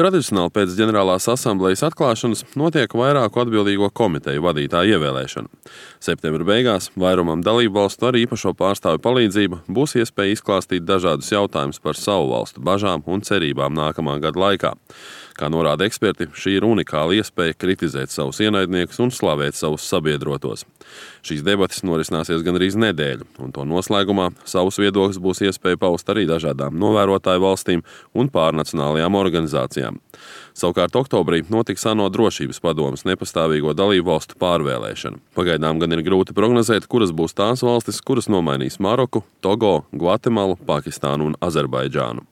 Tradicionāli pēc ģenerālās asamblejas atklāšanas notiek vairāku atbildīgo komiteju vadītāju ievēlēšana. Septembra beigās vairumam dalību valstu ar īpašo pārstāvju palīdzību būs iespēja izklāstīt dažādus jautājumus par savu valstu bažām un cerībām nākamā gada laikā. Kā norāda eksperti, šī ir unikāla iespēja kritizēt savus ienaidniekus un slavēt savus sabiedrotos. Šīs debates norisināsies gandrīz nedēļu, un to noslēgumā savus viedokļus būs iespēja paust arī dažādām novērotāju valstīm un pārnacionālajām organizācijām. Savukārt oktobrī notiks ANO drošības padomes nepastāvīgo dalību valstu pārvēlēšana. Pagaidām gan ir grūti prognozēt, kuras būs tās valstis, kuras nomainīs Maroku, Togo, Gvatemalu, Pakistānu un Azerbaidžānu.